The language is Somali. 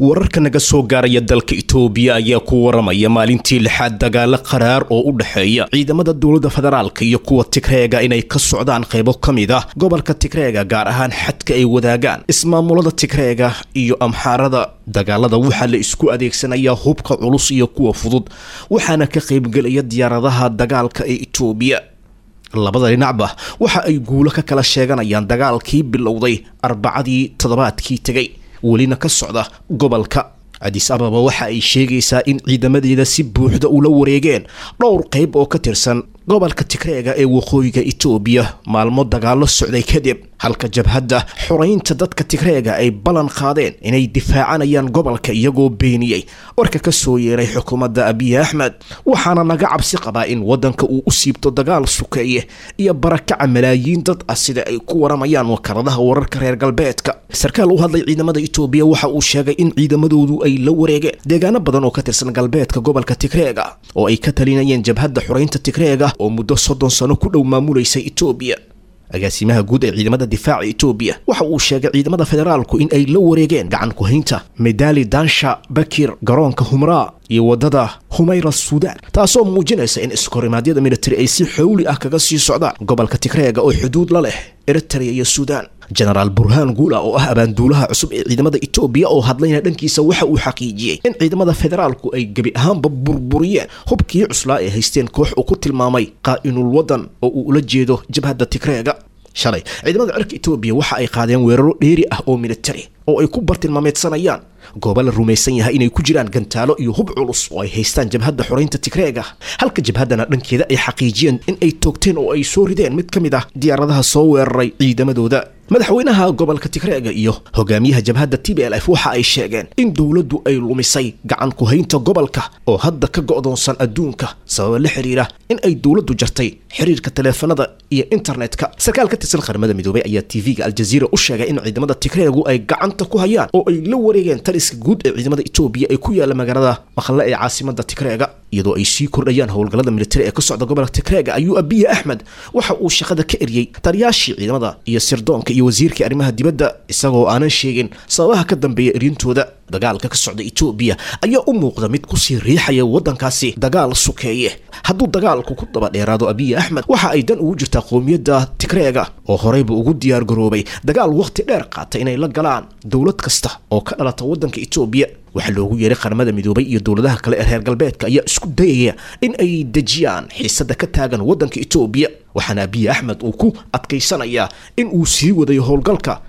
Wararka naga soo gaaraya dalka Itoobiya ayaa ku waramaya maalintii lixaad dagaalo qaraar oo u dhexeeya ciidamada dowladda federaalka iyo kuwa Tigreega inay ka socdaan qaybo ka mid ah gobolka Tigreega, gaar ahaan xadka ay wadaagaan ismaamulada Tigreega iyo Amxaarada. Dagaalada waxaa la isku adeegsanayaa hubka culus iyo kuwa fudud, waxaana ka qaybgelaya diyaaradaha dagaalka ee Itoobiya. Labada dhinacba waxa ay guulo ka kala sheeganayaan dagaalkii bilowday Arbacadii toddobaadkii tegay, welina ka socda gobolka. Adis Ababa waxa ay sheegaysaa in ciidamadeeda si buuxda ula wareegeen dhowr qayb oo ka tirsan gobolka Tigreega ee waqooyiga Itoobiya maalmo dagaallo socday kadib, halka jabhadda xoraynta dadka Tigreega ay ballan qaadeen inay difaacanayaan gobolka, iyagoo beeniyey warka ka soo yeeray xukuumadda Abiy Axmed. Waxaana laga cabsi qabaa in waddanka uu u siibto dagaal sukeeye iyo barakaca malaayiin dad ah, sida ay ku waramayaan wakaaladaha wararka reer galbeedka. Sarkaal u hadlay ciidamada Itoobiya waxa uu sheegay in ciidamadoodu ay la wareegeen deegaano badan oo ka tirsan galbeedka gobolka Tigreega oo ay ka talinayeen jabhadda xoraynta Tigreega oo muddo 30 sano ku dhow maamulaysay Itoobiya. Agaasimaha guud ee ciidamada difaaca Itoobiya waxa uu sheegay ciidamada federaalku in ay la wareegeen gacan ku-haynta Medali Dansha Bakir, garoonka Humraa iyo wadada Humayra Suudaan, taasoo muujinaysa in iskorimaadyada militari ay si xowli ah kaga sii socdaan gobolka Tigreega oo xuduud la leh Eritrea iyo Suudaan. Jenaraal Burhaan Guula oo ah abaanduulaha cusub ee ciidamada Itoobiya oo hadlayna dhankiisa waxa uu xaqiijiyey in ciidamada federaalku ay gebi ahaanba burburiyeen hubkii cuslaa ay haysteen koox uu ku tilmaamay qaa'inul waddan oo uu ula jeedo jabhadda Tigreega. Shalay ciidamada cirka Itoobiya waxa ay qaadeen weeraro dheeri ah oo militari oo ay ku bartilmaameedsanayaan goobo la rumaysan yahay inay ku jiraan gantaalo iyo hub culus oo ay haystaan jabhadda xoraynta Tigreega, halka jabhaddana dhankeeda ay xaqiijiyeen in ay toogteen oo ay soo rideen mid ka mid ah diyaaradaha soo weeraray ciidamadooda. Madaxweynaha gobolka Tigreega iyo hogaamiyaha jabhadda TPLF waxa ay sheegeen in dowladdu ay lumisay gacan ku-haynta gobolka oo hadda ka go'doonsan adduunka, sababa la xiriira in ay dowladdu jartay xiriirka taleefanada iyo internetka. Sarkaal ka tirsan Qaramada Midoobay ayaa TV-ga Aljaziira u sheegay in ciidamada Tigreegu ay gacanta ku hayaan oo ay la wareegeen taliska guud ee ciidamada Itoobiya ee ku yaala magaalada Maqle ee caasimada Tigreega. Iyadoo ay sii kordhayaan howlgallada militari ee ka socda gobolka Tigreega, ayuu Abiy Axmed waxa uu shaqada ka eriyey taliyaashii ciidamada iyo sirdoonka iyo wasiirkii arrimaha dibadda, isagoo aanan sheegin sababaha ka dambeeya erintooda. Dagaalka ka socda Itoobiya ayaa u muuqda mid kusii riixaya waddankaasi dagaal sukeeye. Hadduu dagaalku ku daba dheeraado Abiy Axmed, waxa ay dan ugu jirtaa qowmiyadda Tigreega oo horeyba ugu diyaar garoobay dagaal waqti dheer qaata inay la galaan dowlad kasta oo ka dhalata waddanka Itoobiya. Waxaa loogu yeeray Qaramada Midoobay iyo dowladaha kale ee reer galbeedka ayaa isku dayaya in ay dejiyaan xiisada ka taagan waddanka Itoobiya, waxaana Abiy Axmed uu ku adkaysanayaa in uu sii wadayo howlgalka.